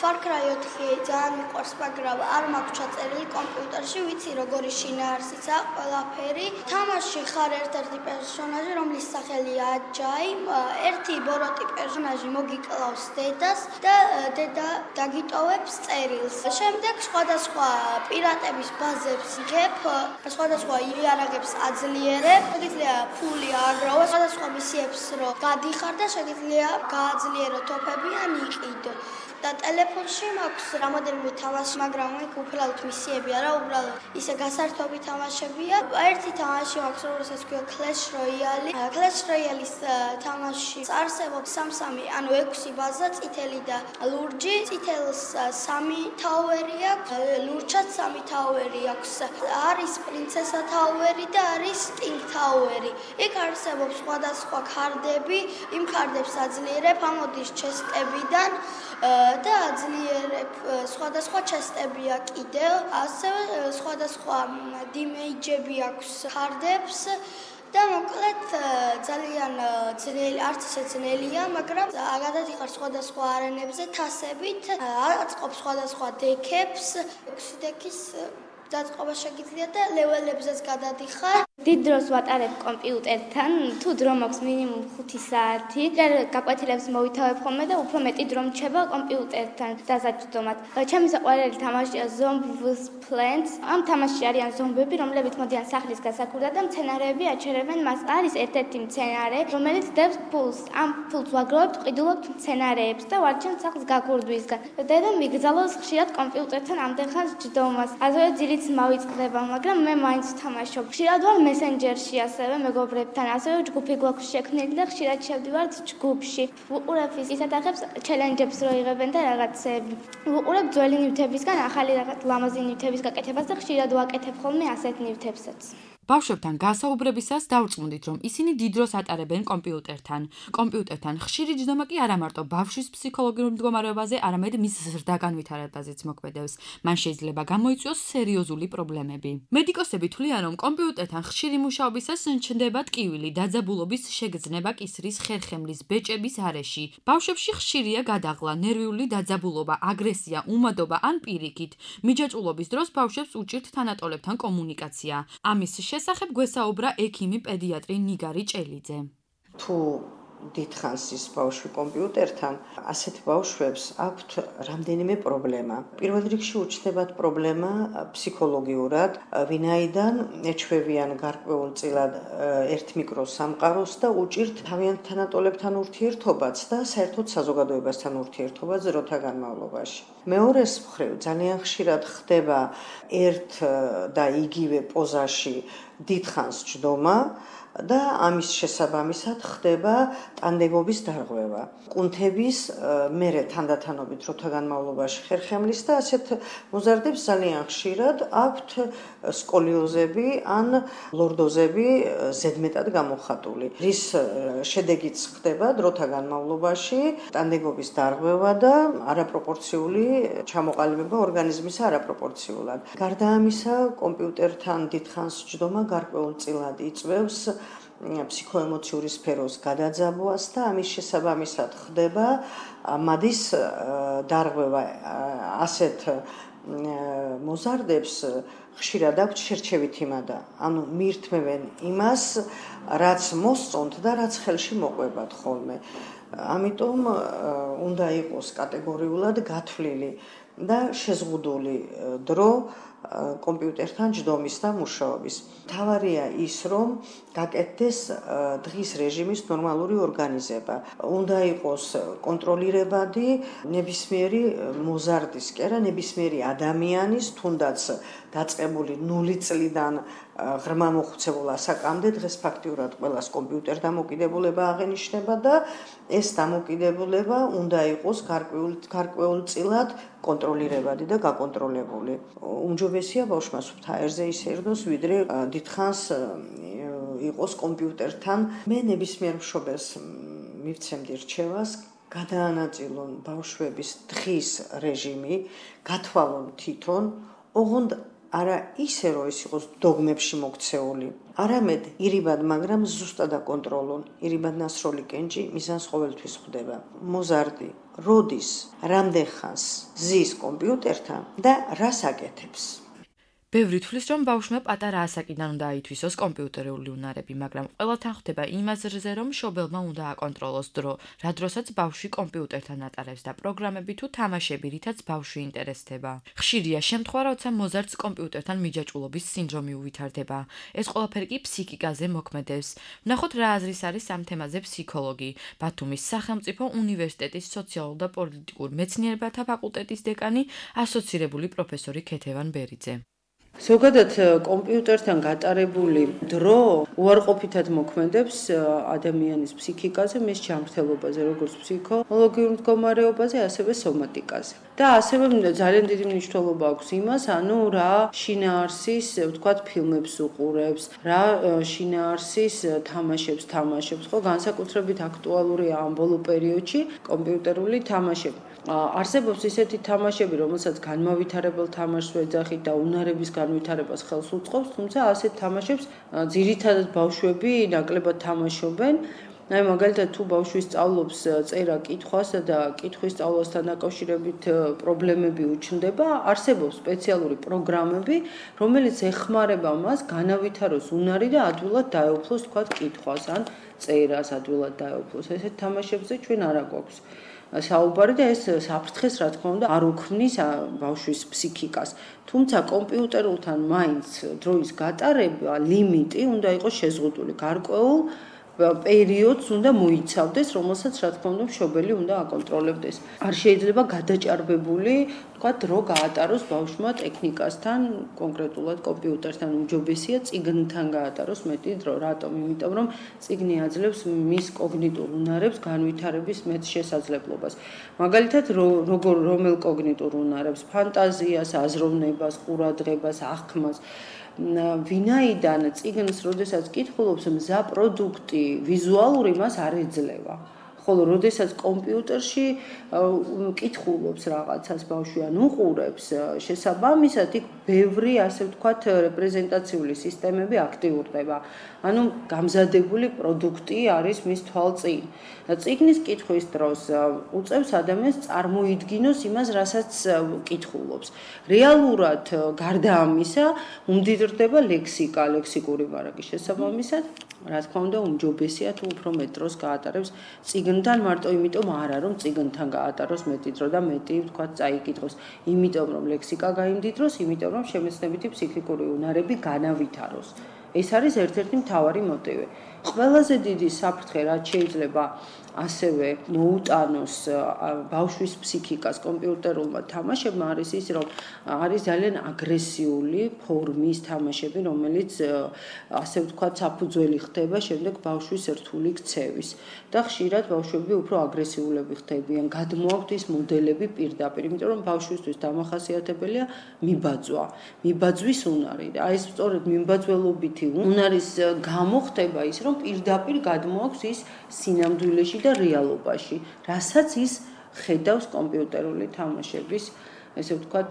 Far Cry ოთხი ძალიან მიყვარს, მაგრამ არ მაქვს ჩაწერილი კომპიუტერში, ვიცი როგორი შინაარსიცაა ყველაფერი. თამაში ხარ ერთ-ერთი პერსონაჟი, რომლის სახელია Ajay, ერთი ბოროტი პერსონაჟი მოგიკლავს დედას და დედა დაგიტოვებს წერილს. შემდეგ სხვადასხვა პირატების ბაზებს იღებ, სხვადასხვა იარაღებს აძლიერებ, შეგიძლია ფული აგროვო, სხვადასხვა მისიებს რო გადიხარ და შეგიძლია გააძლიერო თოფები ან იყიდო. და ტელეფონში მაქვს რამოდენიმე თამაში, მაგრამ იქ უბრალოდ მისიები არა, უბრალოდ ისე გასართობი თამაშებია. ერთი თამაში მაქვს, რომელსაც ქვია Clash Royale. Clash Royale-ის თამაში არსებობს სამ-სამი, ანუ ექვსი ბაზა, წითელი და ლურჯი. წითელს სამი თაუერი აქვს, ლურჯსაც სამი თაუერი აქვს. არის პრინცესა თაუერი და არის Sting თაუერი. იქ არსებობს სხვადასხვა ქარდები, იმ ქარდებს აძლიერებ, ამოდის ჩესტებიდან და აძლიერებ სხვადასხვა ჩესტებია კიდევ, ასევე სხვადასხვა დიმეიჯები აქვს ქარდებს და მოკლედ ძალიან ძნელი, არც ისე ძნელია, მაგრამ გადადიხარ სხვადასხვა არენებზე თასებით, აწყობ სხვადასხვა დექებს, ექვსი დექის დაწყობა შეგიძლია და ლეველებზეც გადადიხარ. დიდ დროს ვატარებ კომპიუტერთან, თუ დრო მაქვს მინიმუმ ხუთი საათი. გაკვეთილებს მოვითავებ ხოლმე და უფრო მეტი დრო მრჩება კომპიუტერთან დასაჯდომად. ჩემი საყვარელი თამაშია Zombies Plants. ამ თამაშში არიან ზომბები, რომლებიც მოდიან სახლის გასაკვირად და მცენარეები აჩერებენ მას. არის ერთ-ერთი მცენარე, რომელიც დებს ფულს. ამ ფულს ვაგროვებთ, ყიდულობთ მცენარეებს და ვარჩევთ სახლის გაქურდვისგან. დედა მიგზავნოს ხშირად კომპიუტერთან ამდენხანს ჯდომას. ასევე ძილიც მავიწყდება, მაგრამ მე მაინც ვთამაშობ. ხშირად ვარ მესენჯერში ასევე მეგობრებთან, ასევე ჯგუფი გვაქვს შექმნილი და ხშირად შევდივართ ჯგუფში. ვუყურებ ისეთახებს ჩელენჯებს რო იღებენ და რაღაცები. ვუყურებ ძველი ნივთებისგან ახალი რაღაც ლამაზი ნივთების გაკეთებას და ხშირად ვაკეთებ ხოლმე ასეთ ნივთებსაც. ბავშვებთან გასაუბრებისას დავრწმუნდით, რომ ისინი დიდ დროს ატარებენ კომპიუტერთან. კომპიუტერთან ხშირი ჯდომა კი არა მარტო ბავშვის ფსიქოლოგიურ მდგომარეობაზე, არამედ მის ზრდა განვითარებაზეც მოქმედებს. მან შეიძლება გამოიწვიოს სერიოზული პრობლემები. მედიკოსები თვლიან, რომ კომპიუტერთან ხშირი მუშაობისას ჩნდება ტკივილი, დაძაბულობის შეგრძნება კისრის ხერხემლის ბეჭების არეში. ბავშვებში ხშირია გადაღლა, ნერვიული დაძაბულობა, აგრესია, უმადობა ან პირიქით. მიჯაჭვულობის დროს ბავშვებს უჭირთ თანატოლებთან კომუნიკაცია. ამის შესახებ გვესაუბრა ექიმი პედიატრი ნიგარი ჭელიძე. თუ დიდხანს ის ბავშვი კომპიუტერთან, ასეთ ბავშვებს აქვთ რამდენიმე პრობლემა. პირველ რიგში უჩნდებათ პრობლემა ფსიქოლოგიურად, ვინაიდან ეჩვევიან გარკვეულწილად ერთ მიკროსამყაროს და უჭირთ თავიანთ თანატოლებთან ურთიერთობაც და საერთოდ საზოგადოებასთან ურთიერთობაც დროთა განმავლობაში. მეორეს მხრივ ძალიან ხშირად ხდება ერთ და იგივე პოზაში დიდხანს ჯდომა და ამის შესაბამისად ხდება ტანდებობის დარღვევა. კუნთების მერე თანდათანობით დროთა განმავლობაში ხერხემლის და ასეთ მოზარდებს ძალიან ხშირად აქვთ სკოლიოზები ან ლორდოზები ზედმეტად გამოხატული. რის შედეგიც ხდება დროთა განმავლობაში ტანდებობის დარღვევა და არაპროპორციული ჩამოყალიბება ორგანიზმის არაპროპორციულად. გარდა ამისა, კომპიუტერთან დიდხანს ჯდომა გარკვეულწილად იწვევს ფსიქოემოციური სფეროს გადაძაბვას და ამის შესაბამისად ხდება მადის დარღვევა. ასეთ მოზარდებს ხშირად აქვთ შერჩევითი მადა, ანუ მიირთმევენ იმას, რაც მოსწონთ და რაც ხელში მოყვებათ ხოლმე. ამიტომ უნდა იყოს კატეგორიულად გათვლილი და შეზღუდული დრო კომპიუტერთან ჯდომის და მუშაობის. მთავარია ის, რომ გაკეთდეს დღის რეჟიმის ნორმალური ორგანიზება. უნდა იყოს კონტროლირებადი ნებისმიერი მოზარდის, კი არა, ნებისმიერი ადამიანის, თუნდაც დაწყებული ნული წლიდან ღრმა მოხუცებულ ასაკამდე დღეს ფაქტიურად ყველას კომპიუტერ დამოკიდებულება აღენიშნება და ეს დამოკიდებულება უნდა იყოს გარკვეულწილად კონტროლირებადი და გაკონტროლებული. უმჯობესია ბავშვმა სუფთა აირზე ისერდოს, ვიდრე დიდხანს იყოს კომპიუტერთან. მე ნებისმიერ მშობელს მივცემდი რჩევას, გადაანაწილონ ბავშვების დღის რეჟიმი, გათვალონ თვითონ, ოღონდ არა ისე, რომ ის იყოს დოგმებში მოქცეული, არამედ ირიბად, მაგრამ ზუსტად აკონტროლონ. ირიბად ნასროლი კენჭი მიზანს ყოველთვის ხვდება. მოზარდი როდის, რამდენხანს ზის კომპიუტერთან და რას აკეთებს. ბევრი თვლის, რომ ბავშვმა პატარა ასაკიდან უნდა აითვისოს კომპიუტერული უნარები, მაგრამ ყველათან ხდება იმ აზრზე, რომ მშობელმა უნდა აკონტროლოს დრო, რა დროსაც ბავშვი კომპიუტერთან ატარებს და პროგრამები თუ თამაშები, რითაც ბავშვი ინტერესდება. ხშირია შემთხვევა, როცა მოზარდს კომპიუტერთან მიჯაჭვულობის სინდრომი უვითარდება. ეს ყველაფერი კი ფსიქიკაზე მოქმედებს. ვნახოთ, რა აზრის არის ამ თემაზე ფსიქოლოგი, ბათუმის სახელმწიფო უნივერსიტეტის სოციალურ და პოლიტიკურ მეცნიერებათა ფაკულტეტის დეკანი, ასოცირებული პროფესორი ქეთევან ბერიძე. ზოგადად კომპიუტერთან გატარებული დრო უარყოფითად მოქმედებს ადამიანის ფსიქიკაზე, მის ჯანმრთელობაზე, როგორც ფსიქოლოგიურ მდგომარეობაზე, ასევე სომატიკაზე. და ასევე ძალიან დიდი მნიშვნელობა აქვს იმას, ანუ რა შინაარსის, ვთქვათ, ფილმებს უყურებს, რა შინაარსის თამაშებს თამაშობს, ხო, განსაკუთრებით აქტუალურია ამ ბოლო პერიოდში კომპიუტერული თამაშები. არსებობს ისეთი თამაშები, რომელსაც განმავითარებელ თამაშს ვეძახით და უნარების განვითარებას ხელს უწყობს, თუმცა ასეთ თამაშებს ძირითადად ბავშვები ნაკლებად თამაშობენ აი მაგალითად თუ ბავშვი სწავლობს წერა კითხვას და კითხვის სწავლასთან დაკავშირებით პრობლემები უჩნდება, არსებობს სპეციალური პროგრამები, რომელიც ეხმარება მას განავითაროს უნარი და ადვილად დაეუფლოს თქვა კითხვას ან წერას ადვილად დაეუფლოს. ესეთ თამაშებზე ჩვენ არ აგვაქვს საუბარი და ეს საფრთხეს რა თქმა უნდა არ უქმნის ბავშვის ფსიქიკას. თუმცა კომპიუტერულთან მაინც დროის გატარება ლიმიტი უნდა იყოს შეზღუდული. გარკვეულ პერიოდს უნდა მოიცავდეს, რომელსაც რა თქმა უნდა მშობელი უნდა აკონტროლებდეს. არ შეიძლება გადაჭარბებული, თქვა, დრო გაატაროს ბავშვმა ტექნიკასთან, კონკრეტულად კომპიუტერთან უმჯობესია წიგნთან გაატაროს მეტი დრო. რატომ? იმიტომ რომ წიგნი აძლევს მის კოგნიტურ უნარებს განვითარების მეტ შესაძლებლობას. მაგალითად, როგორ რომელ კოგნიტურ უნარებს? ფანტაზიას, აზროვნებას, ყურადღებას, აღქმას. ვინაიდან წიგნს, როდესაც კითხულობს, მზა პროდუქტი ვიზუალური მას არ ეძლევა. ხოლო როდესაც კომპიუტერში კითხულობს რაღაცას ბავშვი ან უყურებს, შესაბამისად იქ ბევრი, ასე ვთქვათ, რეპრეზენტაციული სისტემები აქტიურდება. ანუ გამზადებული პროდუქტი არის მის თვალწინ. წიგნის კითხვის დროს უწევს ადამიანს წარმოიდგინოს იმას, რასაც კითხულობს. რეალურად გარდა ამისა, უმდიდრდება ლექსიკა, ლექსიკური მარაგის შესაბამისად, რა თქმა უნდა, უმჯობესია თუ უფრო მეტ დროს გაატარებს წიგნთან, მარტო იმიტომ არა, რომ წიგნთან გაატაროს მეტი დრო და მეტი, ვთქვათ, წაიკითხოს. იმიტომ რომ ლექსიკა გაიმდიდროს, იმიტომ რომ შემეცნებითი ფსიქიკური უნარები განავითაროს. ეს არის ერთ-ერთი მთავარი მოტივი. ყველაზე დიდი საფრთხე, რაც შეიძლება ასევე მოუტანოს ბავშვის ფსიქიკას კომპიუტერულმა თამაშებმა არის ის, რომ არის ძალიან აგრესიული ფორმის თამაშები, რომელიც ასე ვთქვათ, საფუძველი ხდება შემდეგ ბავშვის რთული ქცევის. და ხშირად ბავშვები უფრო აგრესიულები ხდებიან, გადმოაქვთ ის მოდელები პირდაპირ, იმიტომ რომ ბავშვისთვის დამახასიათებელია მიბაძვა, მიბაძვის უნარი. და აი ეს სწორედ მიმბაძველობითი უნარის გამო ხდება ის, რომ პირდაპირ გადმოაქვს ის სინამდვილეში და რეალობაში, რასაც ის ხედავს კომპიუტერული თამაშების, ესე ვთქვათ,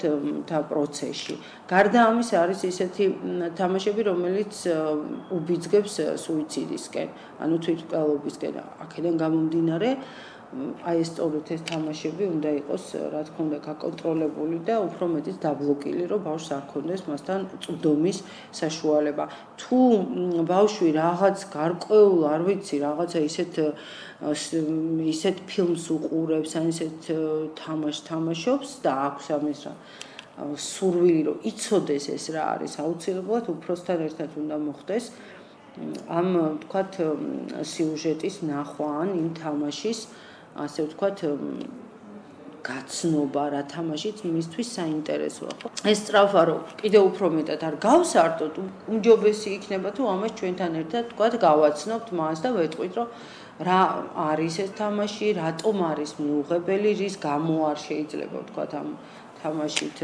და პროცესში. გარდა ამისა არის ისეთი თამაშები, რომელიც უბიძგებს სუიციდისკენ, ანუ თვითმკვლელობისკენ. აქედან გამომდინარე, აი ეს სწორედ ეს თამაშები უნდა იყოს, რა თქმა უნდა, გაკონტროლებული და უფრო მეტიც დაბლოკილი, რომ ბავშვს არ ქონდეს მასთან წვდომის საშუალება. თუ ბავშვი რაღაც გარკვეულ, არ ვიცი, რაღაცა ისეთ ისეთ ფილმს უყურებს, ან ისეთ თამაშს თამაშობს და აქვს ამის რა სურვილი, რომ იცოდეს ეს რა არის, აუცილებლად უფროსთან ერთად უნდა მოხდეს ამ, ვთქვათ, სიუჟეტის ნახვა ან იმ თამაშის, ასე ვთქვათ, გაცნობა, რა თამაშიც მისთვის საინტერესოა, ხო? ეს სწრაფა რომ კიდევ უფრო მეტად არ გავსართოთ, უმჯობესი იქნება თუ ამას ჩვენთან ერთად, ვთქვათ, გავაცნობთ მას და ვეტყვით, რომ რა არის ეს თამაში, რატომ არის მიუღებელი, რის გამო არ შეიძლება, ვთქვათ, ამ თამაშით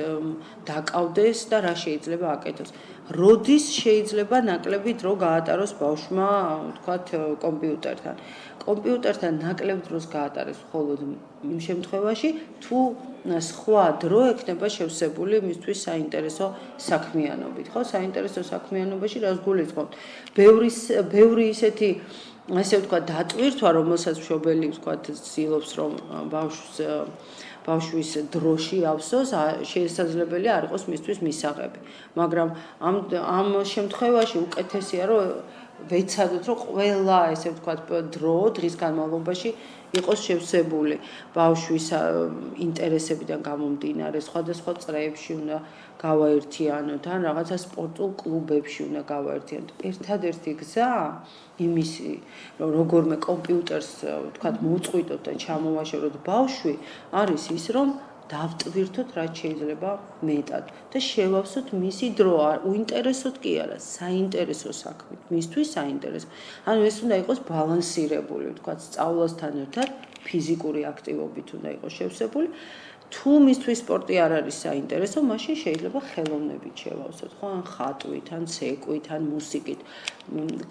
დაკავდეს და რა შეიძლება აკეთოს. როდის შეიძლება ნაკლები დრო გაატაროს ბავშვმა, ვთქვათ, კომპიუტერთან. კომპიუტერთან ნაკლებ დროს გაატარეს მხოლოდ იმ შემთხვევაში, თუ სხვა დრო ექნება შევსებული მისთვის საინტერესო საქმიანობით, ხო? საინტერესო საქმიანობაში რას გულისხმობთ? ბევრი ბევრი ისეთი, ასე ვთქვათ, დატვირთვა, რომელსაც მშობელი, ვთქვათ, ცდილობს, რომ ბავშვს ბავშვის დროში ავსოს, შესაძლებელია არ იყოს მისთვის მისაღები. მაგრამ ამ ამ შემთხვევაში უკეთესია, რომ ვეცადოთ, რომ ყველა, ესე ვთქვათ, დრო დღის განმავლობაში იყოს შევსებული ბავშვის ინტერესებიდან გამომდინარე, სხვადასხვა წრეებში უნდა გავაერთიანოთ, ან რაღაცა სპორტულ კლუბებში უნდა გავაერთიანოთ. ერთადერთი გზა იმისი, რომ როგორმე კომპიუტერს, ვთქვათ, მოუწყვიტოთ და ჩამოვაშოროთ ბავშვი, არის ის, რომ დავტვირთოთ რაც შეიძლება მეტად და შევავსოთ მისი დრო, უინტერესოდ კი არა, საინტერესო საქმით, მისთვის საინტერესო. ანუ ეს უნდა იყოს ბალანსირებული, ვთქვათ, სწავლასთან ერთად ფიზიკური აქტივობით უნდა იყოს შევსებული. თუ მისთვის სპორტი არ არის საინტერესო, მაშინ შეიძლება ხელოვნებით შევავსოთ, ხო, ან ხატვით, ან ცეკვით, ან მუსიკით.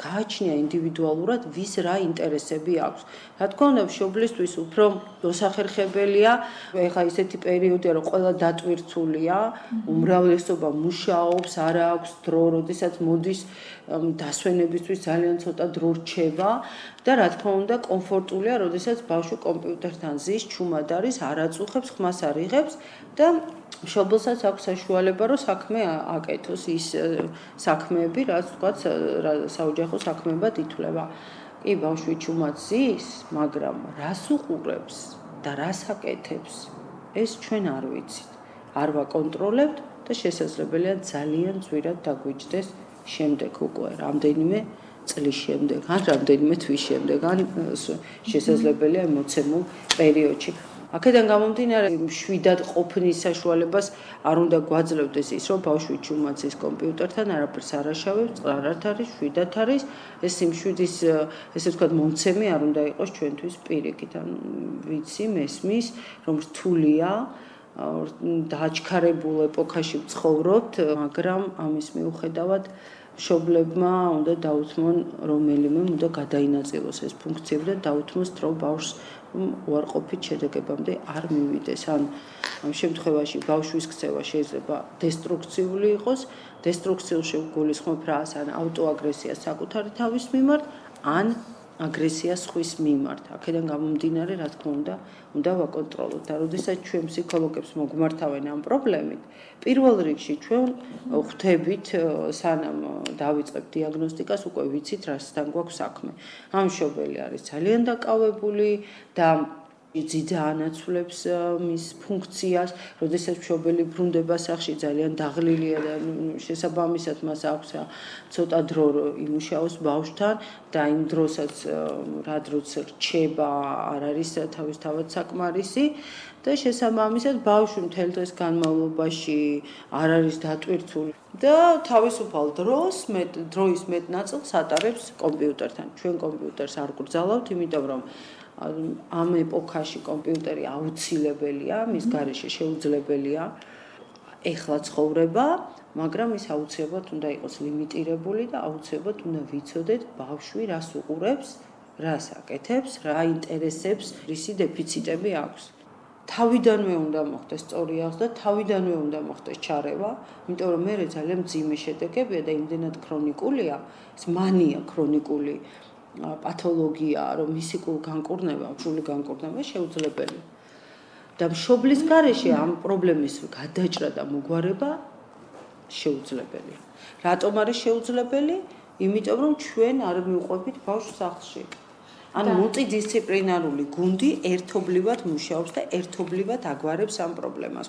გააჩნია ინდივიდუალურად ვის რა ინტერესები აქვს. რა თქმა უნდა, მშობლისთვის უფრო მოსახერხებელია, ეხლა ისეთი პერიოდია, რომ ყველა დატვირთულია, უმრავლესობა მუშაობს, არ აქვს დრო, როდესაც მოდის დასვენებისთვის ძალიან ცოტა დრო რჩება და რა თქმა უნდა, კომფორტულია, როდესაც ბავშვი კომპიუტერთან ზის, ჩუმად არის, არ აწუხებს, ხმას არ იღებს და მშობელსაც აქვს საშუალება, რომ საქმე აკეთოს ის საქმეები, რაც თქვაც საოჯახო საქმეებად ითვლება. კი, ბავშვი ჩუმად ზის, მაგრამ რას უყურებს და რას აკეთებს, ეს ჩვენ არ ვიცით. არ ვაკონტროლებთ და შესაძლებელია ძალიან ძვირად დაგვიჯდეს შემდეგ უკვე რამდენიმე წლის შემდეგ, ან რამდენიმე თვის შემდეგ, ან შესაძლებელია მოცემულ პერიოდში. აქედან გამომდინარე, შვიდად ყოფნის საშუალებას არ უნდა გვაძლევდეს ის, რომ ბავშვი ჩუმად ზის კომპიუტერთან, არაფერს არ აშავებს, წყარად არის, შვიდად არის, ეს იმ შვიდის, ესე ვთქვათ, მომცემი არ უნდა იყოს ჩვენთვის პირიქით, ან ვიცი, მესმის, რომ რთულია დააჩქარებულ ეპოქაში ვცხოვრობთ, მაგრამ ამის მიუხედავად მშობლებმა უნდა დაუთმონ რომელიმე, უნდა გადაინაწილოს ეს ფუნქციები და დაუთმოს დრო ბავშვს უარყოფით შედეგებამდე არ მივიდეს. ან ამ შემთხვევაში ბავშვის ქცევა შეიძლება დესტრუქციული იყოს, დესტრუქციულ შეგულისხმობ რას, ან ავტოაგრესია საკუთარი თავის მიმართ, ან აგრესია სხვის მიმართ. აქედან გამომდინარე, რა თქმა უნდა, უნდა ვაკონტროლოთ და როდესაც ჩვენ ფსიქოლოგებს მოგმართავენ ამ პრობლემით, პირველ რიგში ჩვენ ხვდებით, სანამ დავიწყებთ დიაგნოსტიკას, უკვე ვიცით, რასთან გვაქვს საქმე. ამ მშობელი არის ძალიან დაკავებული და ძიძა ანაცვლებს მის ფუნქციას, როდესაც მშობელი ბრუნდება სახლში ძალიან დაღლილია და შესაბამისად მას აქვს ცოტა დრო იმუშაოს ბავშვთან და იმ დროსაც რა დროც რჩება არ არის თავისთავად საკმარისი და შესაბამისად ბავშვი მთელ დღის განმავლობაში არ არის დატვირთული და თავისუფალ დროს მეტ დროის მეტ ნაწილს ატარებს კომპიუტერთან. ჩვენ კომპიუტერს არ გვგრძალავთ, იმიტომ რომ ამ ეპოქაში კომპიუტერი აუცილებელია, მის გარეშე შეუძლებელია ეხლა ცხოვრება, მაგრამ ის აუცილებლად უნდა იყოს ლიმიტირებული და აუცილებლად უნდა ვიცოდეთ ბავშვი რას უყურებს, რას აკეთებს, რა ინტერესებს, რისი დეფიციტები აქვს. თავიდანვე უნდა მოხდეს სწორი აღზრდა, თავიდანვე უნდა მოხდეს ჩარევა, იმიტომ რომ მე ძალიან მძიმე შედეგებია და იმდენად ქრონიკულია, ეს მანია ქრონიკული პათოლოგია, რომ მისიკულ განკურნება, სრული განკურნება შეუძლებელი. და მშობლის გარეშე ამ პრობლემის გადაჭრა და მოგვარება შეუძლებელია. რატომ არის შეუძლებელი? იმიტომ რომ ჩვენ არ მივყვებით ბავშვს სახლში. ან მულტიდისციპლინარული გუნდი ერთობლივად მუშაობს და ერთობლივად აგვარებს ამ პრობლემას.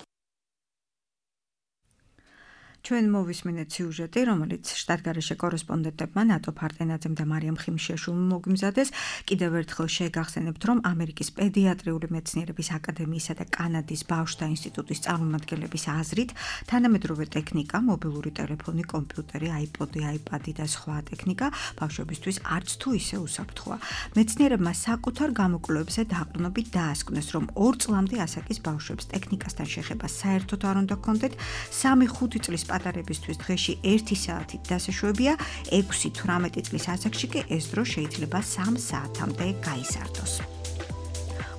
ჩვენ მოვისმინეთ სიუჟეტი, რომელიც შტატგარეშე კორესპონდენტებმა ნატო ფარტენაძემ და მარიამ ხიმშიაშვილმა მოგიმზადეს. კიდევ ერთხელ შეგახსენებთ, რომ ამერიკის პედიატრიული მეცნიერების აკადემიისა და კანადის ბავშვთა ინსტიტუტის წარმომადგენლების აზრით, თანამედროვე ტექნიკა, მობილური ტელეფონი, კომპიუტერი, აიპოდი, აიპადი და სხვა ტექნიკა ბავშვებისთვის არც თუ ისე უსაფრთხოა. მეცნიერებმა საკუთარ გამოკვლევებზე დაყრდნობით დაასკვნეს, რომ ორ წლამდე ასაკის ბავშვებს ტექნიკასთან შეხება საერთოდ არ უნდა ჰქონდეთ, სამი ხუთი წლის პატარებისთვის დღეში ერთი საათით დასაშვებია, ექვსი თვრამეტი წლის ასაკში კი ეს დრო შეიძლება სამ საათამდე გაიზარდოს.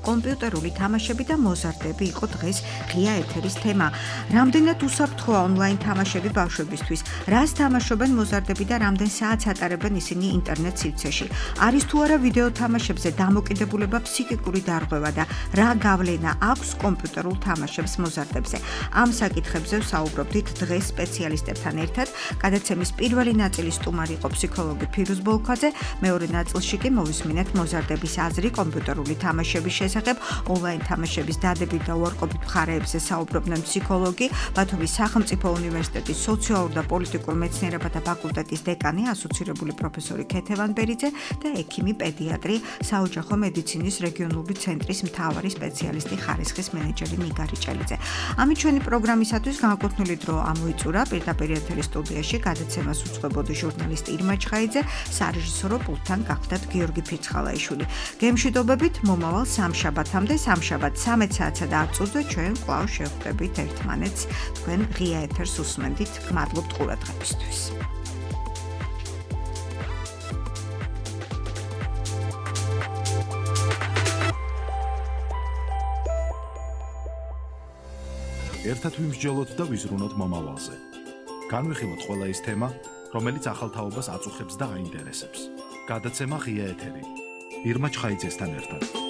კომპიუტერული თამაშები და მოზარდები იყო დღეს ღია ეთერის თემა. რამდენად უსაფრთხოა ონლაინ თამაშები ბავშვებისთვის? რას თამაშობენ მოზარდები და რამდენ საათს ატარებენ ისინი ინტერნეტ სივრცეში? არის თუ არა ვიდეო თამაშებზე დამოკიდებულება ფსიქიკური დარღვევა და რა გავლენა აქვს კომპიუტერულ თამაშებს მოზარდებზე? ამ საკითხებზე ვსაუბრობდით დღეს სპეციალისტებთან ერთად. გადაცემის პირველი ნაწილის სტუმარი იყო ფსიქოლოგი ფირუზ ბოლქვაძე, მეორე ნაწილში კი მოვისმინეთ მოზარდების აზრი კომპიუტერული თამაშების შესახებ. ონლაინ თამაშების დადებით და უარყოფით მხარეებზე საუბრობდნენ ფსიქოლოგი, ბათუმის სახელმწიფო უნივერსიტეტის სოციალურ და პოლიტიკურ მეცნიერებათა ფაკულტეტის დეკანი, ასოცირებული პროფესორი ქეთევან ბერიძე და ექიმი პედიატრი, საოჯახო მედიცინის რეგიონული ცენტრის მთავარი სპეციალისტი, ხარისხის მენეჯერი ნიგარი ჭელიძე. ამით ჩვენი პროგრამისათვის განკუთვნილი დრო ამოიწურა. პირდაპირ ეთერის სტუდიაში გადაცემას უძღვებოდი ჟურნალისტი ირმა ჩხაიძე, სარეჟისორო პულტთან გახდათ გიორგი ფიცხალაიშვილი. გემშვიდობებით, მომავალ სამში სამშაბათამდე, სამშაბათ სამი საათსა და ათ წუთზე ჩვენ კვლავ შევხვდებით ერთმანეთს. თქვენ ღია ეთერს უსმენდით. გმადლობთ ყურადღებისთვის. ერთად ვიმსჯელოთ და ვიზრუნოთ მომავალზე. განვიხილოთ ყველა ის თემა, რომელიც ახალ თაობას აწუხებს და აინტერესებს. გადაცემა ღია ეთერი. ირმა ჩხაიძესთან ერთად.